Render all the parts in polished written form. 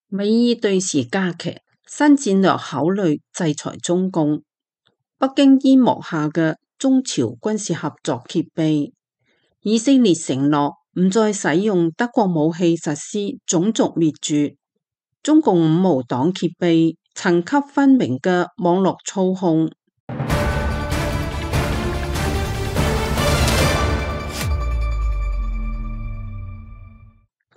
美伊對峙加劇，新戰略考慮制裁中共。北京煙幕下嘅中朝軍事合作揭秘，以色列承諾唔再使用德國武器實施種族滅絕。中共五毛黨揭秘，層級分明嘅網絡操控。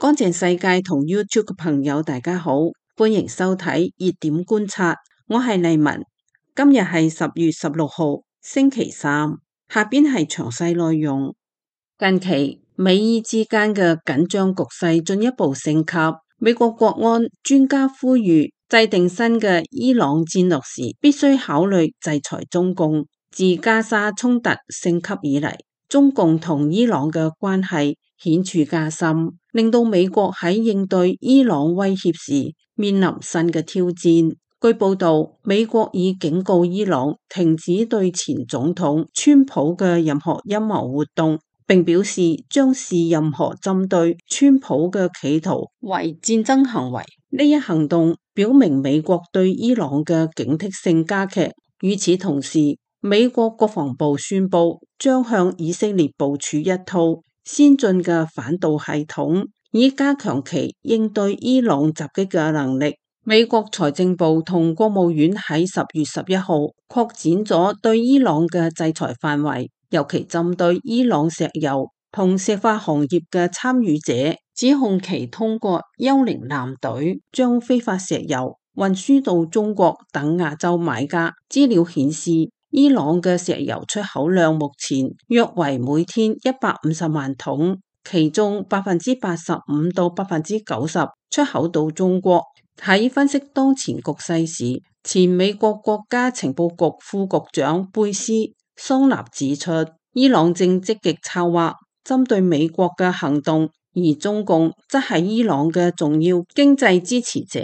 乾淨世界同 YouTube 嘅朋友大家好，歡迎收睇熱點觀察，我係麗文。今日係10月16號星期三，下邊係詳細內容。近期美伊之間嘅緊張局勢進一步升級，美國國安專家呼籲制定新嘅伊朗戰略時必須考慮制裁中共。自加沙衝突升級以嚟，中共同伊朗嘅關係顯著加深，令到美國喺應對伊朗威脅時面臨新嘅挑戰。據報道，美國已警告伊朗停止對前總統川普嘅任何陰謀活動，並表示將視任何針對川普嘅企圖為戰爭行為。呢一行動表明美國對伊朗嘅警惕性加劇。與此同時，美國國防部宣布將向以色列部署一套先進嘅反導系統，以加強其應對伊朗襲擊嘅能力。美國財政部同國務院喺10月11號擴展咗對伊朗嘅制裁範圍，尤其針對伊朗石油同石化行業嘅參與者，指控其通過幽靈艦隊將非法石油運輸到中國等亞洲買家。資料顯示，伊朗嘅石油出口量目前約為每天150萬桶，其中85%到90%出口到中國。喺分析當前局勢時，前美國國家情報局副局長貝斯桑納指出，伊朗正積極策劃針對美國嘅行動，而中共則係伊朗嘅重要經濟支持者。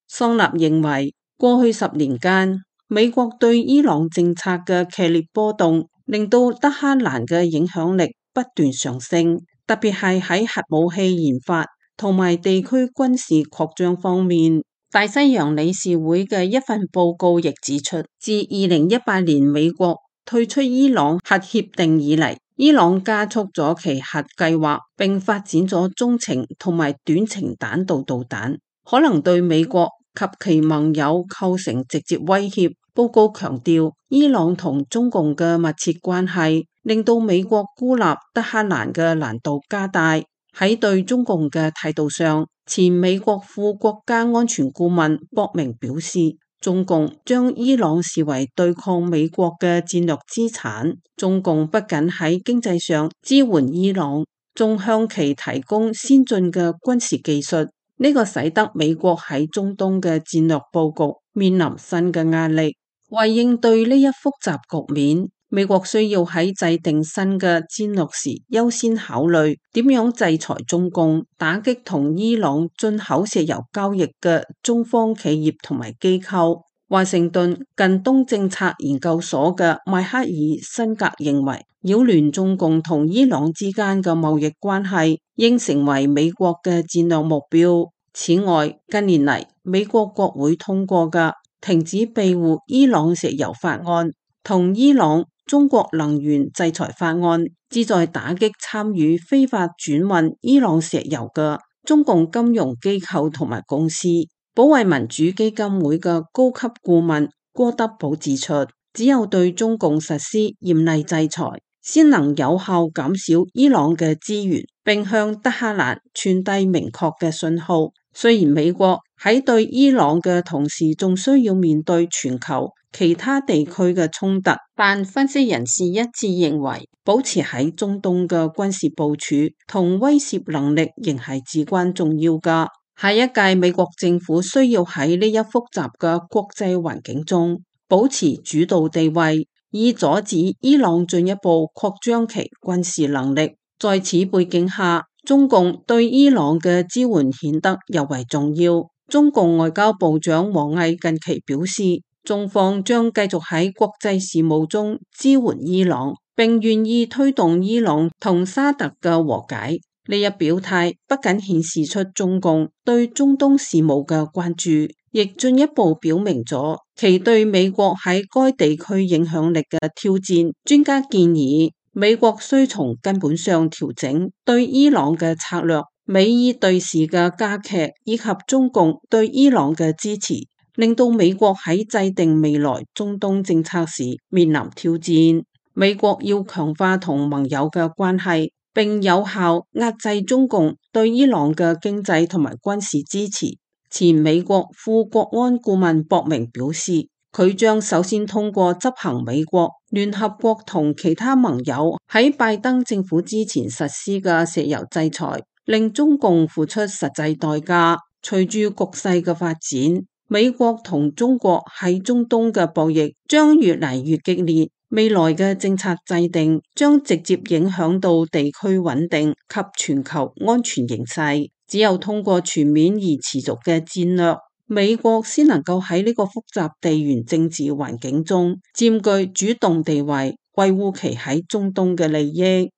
桑納認為，過去10年間，美國對伊朗政策嘅劇烈波動，令到德黑蘭嘅影響力不斷上升，特別係喺核武器研發同埋地區軍事擴張方面。大西洋理事會嘅一份報告亦指出，自2018年美國退出伊朗核協定以嚟，伊朗加速咗其核計劃，並發展咗中程同埋短程彈道導彈，可能對美國及其盟友構成直接威脅。報告強調，伊朗同中共嘅密切關係，令到美國孤立德黑蘭嘅難度加大。喺對中共嘅態度上，前美國副國家安全顧問博明表示，中共將伊朗視為對抗美國嘅戰略資產。中共不僅喺經濟上支援伊朗，仲向其提供先進嘅軍事技術。呢個使得美國喺中東嘅戰略佈局面臨新嘅壓力。為應對呢一複雜局面，美國需要喺制定新嘅戰略時優先考慮點樣制裁中共，打擊同伊朗進口石油交易嘅中方企業同埋機構。華盛頓近東政策研究所嘅邁克爾辛格認為，擾亂中共同伊朗之間嘅貿易關係應成為美國嘅戰略目標。此外，近年嚟美國國會通過嘅停止庇護伊朗石油法案同伊朗中國能源制裁法案，旨在打擊參與非法轉運伊朗石油嘅中共金融機構同埋公司。保衛民主基金會嘅高級顧問郭德寶指出，只有對中共實施嚴厲制裁，先能有效減少伊朗嘅資源，並向德黑蘭傳遞明確嘅信號。雖然美國喺對伊朗嘅同時，仲需要面對全球其他地區嘅衝突，但分析人士一致認為，保持喺中東嘅軍事部署同威懾能力仍係至關重要㗎。下一屆美國政府需要喺呢一複雜嘅國際環境中保持主導地位，以阻止伊朗進一步擴張其軍事能力。在此背景下，中共對伊朗嘅支援顯得尤為重要。中共外交部長王毅近期表示，中方將繼續喺國際事務中支援伊朗，並願意推動伊朗同沙特嘅和解。呢一表態不僅顯示出中共對中東事務嘅關注，亦進一步表明咗其對美國喺該地區影響力嘅挑戰。專家建議，美國需從根本上調整對伊朗嘅策略，美伊對峙嘅加劇以及中共對伊朗嘅支持，令到美國喺制定未來中東政策時面臨挑戰。美國要強化同盟友嘅關係，並有效壓制中共對伊朗嘅經濟同埋軍事支持。前美國副國安顧問博明表示，佢將首先通過執行美國、聯合國同其他盟友喺拜登政府之前實施嘅石油制裁，令中共付出實際代價。隨住局勢嘅發展，美國同中國喺中東嘅博弈將越嚟越激烈。未來嘅政策制定將直接影響到地區穩定及全球安全形勢。只有通過全面而持續嘅戰略，美國先能夠喺呢個複雜地緣政治環境中佔據主動地位，維護其喺中東嘅利益。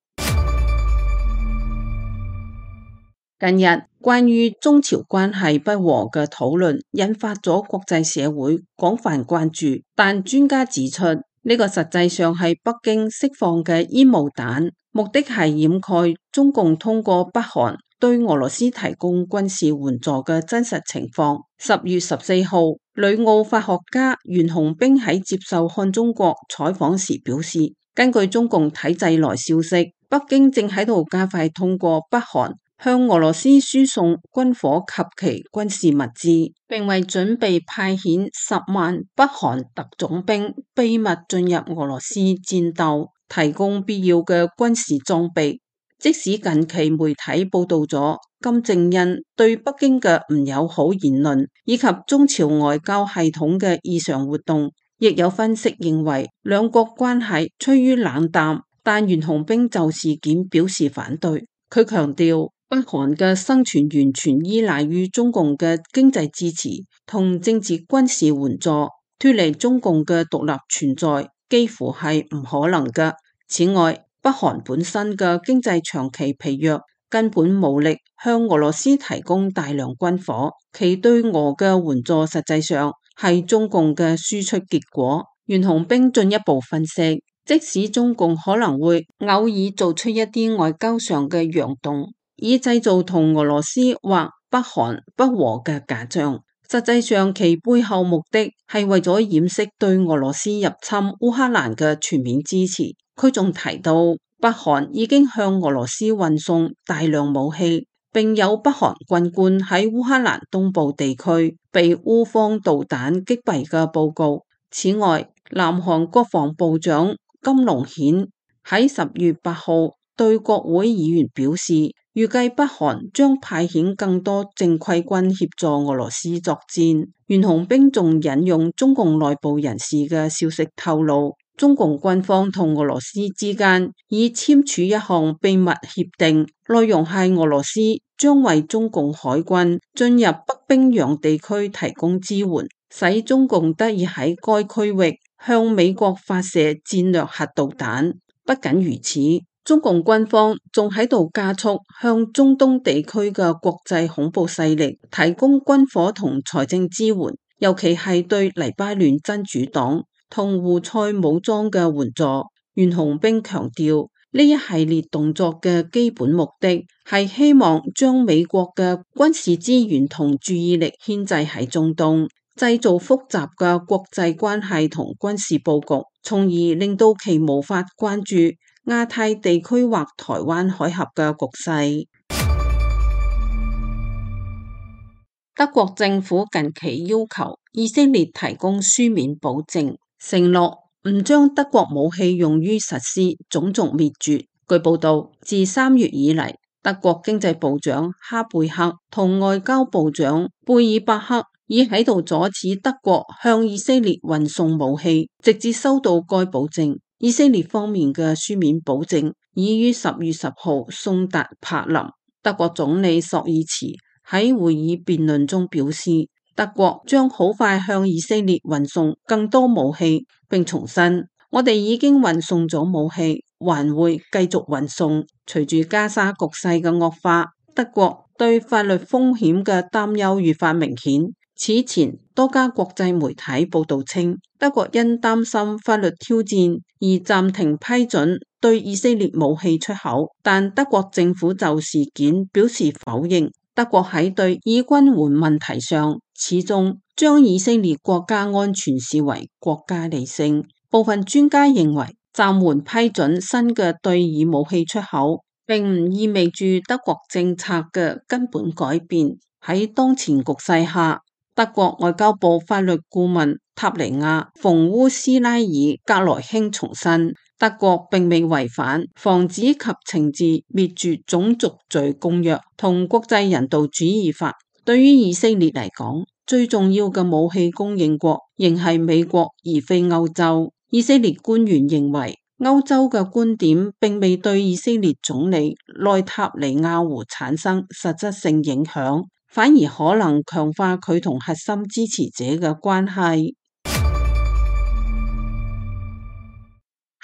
近日關於中朝關係不和嘅討論引發咗國際社會廣泛關注，但專家指出，呢個實際上係北京釋放嘅煙霧彈，目的係掩蓋中共通過北韓對俄羅斯提供軍事援助嘅真實情況。10月14號，旅澳法學家袁洪兵喺接受看中國採訪時表示，根據中共體制內消息，北京正喺度加快通過北韓向俄羅斯輸送軍火及其軍事物資，並為準備派遣10萬北韓特種兵秘密進入俄羅斯戰鬥，提供必要嘅軍事裝備。即使近期媒體報道咗金正恩對北京嘅唔友好言論，以及中朝外交系統嘅異常活動，亦有分析認為兩國關係趨於冷淡。但袁洪兵就事件表示反對，佢強調，北韓嘅生存完全依賴於中共嘅經濟支持同政治軍事援助，脫離中共嘅獨立存在幾乎係唔可能嘅。此外，北韓本身嘅經濟長期疲弱，根本無力向俄羅斯提供大量軍火，其對俄嘅援助實際上係中共嘅輸出結果。袁洪兵進一步分析，即使中共可能會偶爾做出一啲外交上嘅揚動，以製造同俄羅斯或北韓不和嘅假象，實際上其背後目的係為咗掩飾對俄羅斯入侵烏克蘭嘅全面支持。佢仲提到，北韓已經向俄羅斯運送大量武器，並有北韓軍官喺烏克蘭東部地區被烏方導彈擊斃嘅報告。此外，南韓國防部長金龍顯喺10月8號對國會議員表示，預計北韓將派遣更多正規軍協助俄羅斯作戰。袁洪兵仲引用中共內部人士嘅消息透露，中共軍方同俄羅斯之間已簽署一項秘密協定，內容係俄羅斯將為中共海軍進入北冰洋地區提供支援，使中共得以喺該區域向美國發射戰略核導彈。不僅如此，中共軍方仲喺度加速向中東地區嘅國際恐怖勢力提供軍火同財政支援，尤其係對黎巴嫩真主黨同胡塞武裝嘅援助。袁洪兵強調，呢一系列動作嘅基本目的係希望將美國嘅軍事資源同注意力牽制喺中東，製造複雜嘅國際關係同軍事佈局，從而令到其無法關注亞太地區或台灣海峽嘅局勢。德國政府近期要求以色列提供書面保證，承諾唔將德國武器用於實施種族滅絕。據報道，自3月以嚟，德國經濟部長哈貝克同外交部長貝爾伯克已喺度阻止德國向以色列運送武器，直至收到該保證。以色列方面嘅書面保證已於10月10號送達柏林。德國總理朔爾茨喺會議辯論中表示，德國將好快向以色列運送更多武器，並重申我哋已經運送咗武器，還會繼續運送。隨住加沙局勢嘅惡化，德國對法律風險嘅擔憂愈發明顯。此前多家國際媒體報道稱，德國因擔心法律挑戰而暫停批准對以色列武器出口，但德國政府就事件表示否認。德國喺對以軍援問題上，始終將以色列國家安全視為國家理性。部分專家認為，暫緩批准新嘅對以武器出口，並唔意味住德國政策嘅根本改變。喺當前局勢下，德國外交部法律顧問塔尼亞·馮烏斯拉爾格萊興重申，德國並未違反防止及懲治滅絕種族罪公約同國際人道主義法。對於以色列嚟講，最重要嘅武器供應國仍係美國，而非歐洲。以色列官員認為，歐洲嘅觀點並未對以色列總理內塔尼亞胡產生實質性影響，反而可能強化佢同核心支持者嘅關係。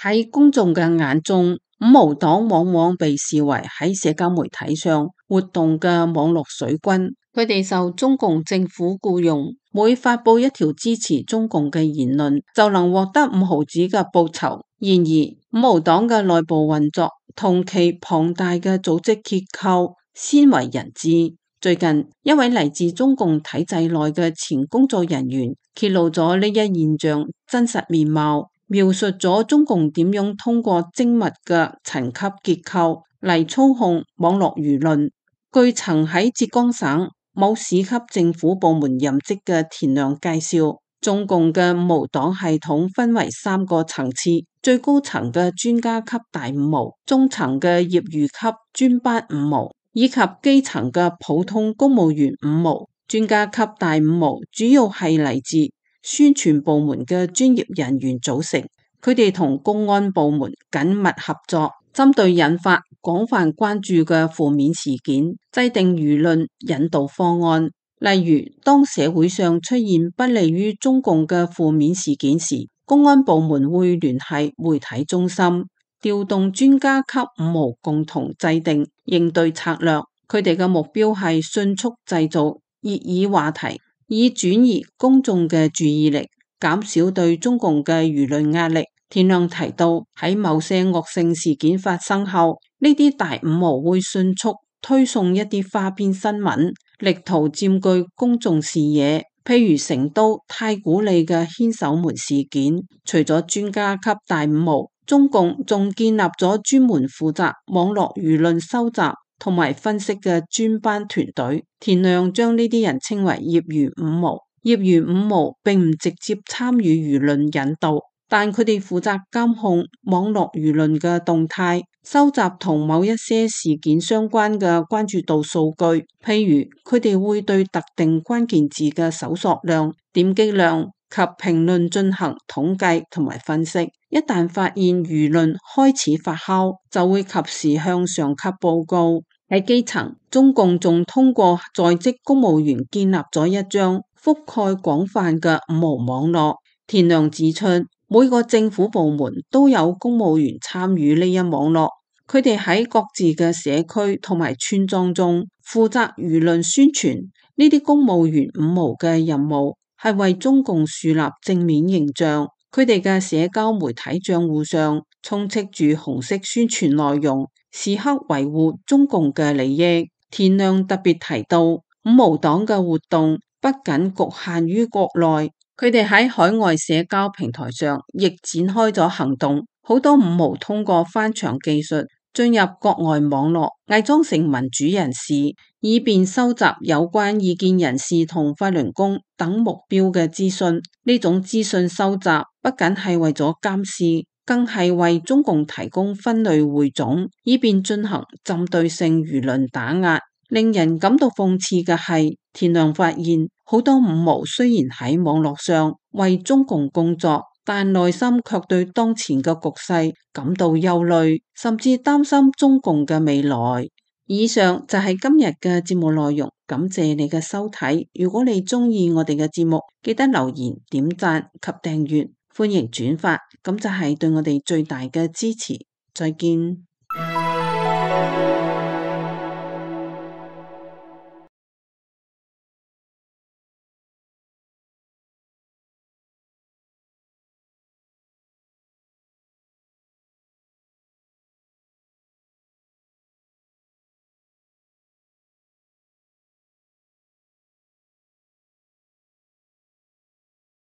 喺公眾嘅眼中，五毛黨往往被視為喺社交媒體上活動嘅網絡水軍，佢哋受中共政府僱傭，每發佈一條支持中共嘅言論，就能獲得5毫子嘅報酬。然而，五毛黨嘅內部運作同其龐大嘅組織結構鮮為人知。最近，一位嚟自中共體制內嘅前工作人員揭露咗呢一現象真實面貌，描述咗中共點樣通過精密嘅層級結構嚟操控網絡輿論。據曾喺浙江省某市級政府部門任職嘅田亮介紹，中共嘅五毛黨系統分為3個層次：最高層嘅專家級大五毛，中層嘅業餘級專班五毛，以及基層嘅普通公務員五毛。專家級大五毛主要係嚟自宣傳部門嘅專業人員組成，佢哋同公安部門緊密合作，針對引發廣泛關注嘅負面事件，制定輿論引導方案。例如，當社會上出現不利於中共嘅負面事件時，公安部門會聯繫媒體中心，調動專家級五毛共同制定應對策略。佢哋嘅目標係迅速製造熱議話題，以轉移公眾嘅注意力，減少對中共嘅輿論壓力。田亮提到，喺某些惡性事件發生後，呢啲大五毛會迅速推送一啲花邊新聞，力圖佔據公眾視野。譬如成都太古里嘅牽手門事件，除咗專家級大五毛，中共仲建立咗專門負責網絡輿論收集同埋分析嘅專班團隊。田亮將呢啲人稱為業餘五毛。業餘五毛並唔直接參與輿論引導，但佢哋負責監控網絡輿論嘅動態，收集同某一些事件相關嘅關注度數據。譬如，佢哋會對特定關鍵字嘅搜索量、點擊量及評論進行統計同埋分析。一旦發現輿論開始發酵，就會及時向上級報告。喺基層，中共仲通過在職公務員建立咗一張覆蓋廣泛嘅五毛網絡。田亮指出，每個政府部門都有公務員參與呢一網絡，佢哋喺各自嘅社區同埋村莊中負責輿論宣傳。呢啲公務員五毛嘅任務係為中共樹立正面形象，佢哋嘅社交媒體賬戶上充斥住紅色宣傳內容，時刻維護中共嘅利益。田亮特別提到，五毛黨嘅活動不僅局限於國內，佢哋喺海外社交平台上亦展開咗行動。好多五毛通過翻牆技術進入國外網絡，偽裝成民主人士，以便收集有關異見人士同法輪功等目標嘅資訊。呢種資訊收集不僅係為咗監視，更係為中共提供分類匯總，以便進行針對性輿論打壓。令人感到諷刺嘅係，田亮發現好多五毛雖然喺網絡上為中共工作，但內心卻對當前嘅局勢感到憂慮，甚至擔心中共嘅未來。以上就係今日嘅節目內容，感謝你嘅收睇。如果你鍾意我哋嘅節目，記得留言、點讚及訂閱。歡迎轉發，咁就係對我哋最大嘅支持。再見。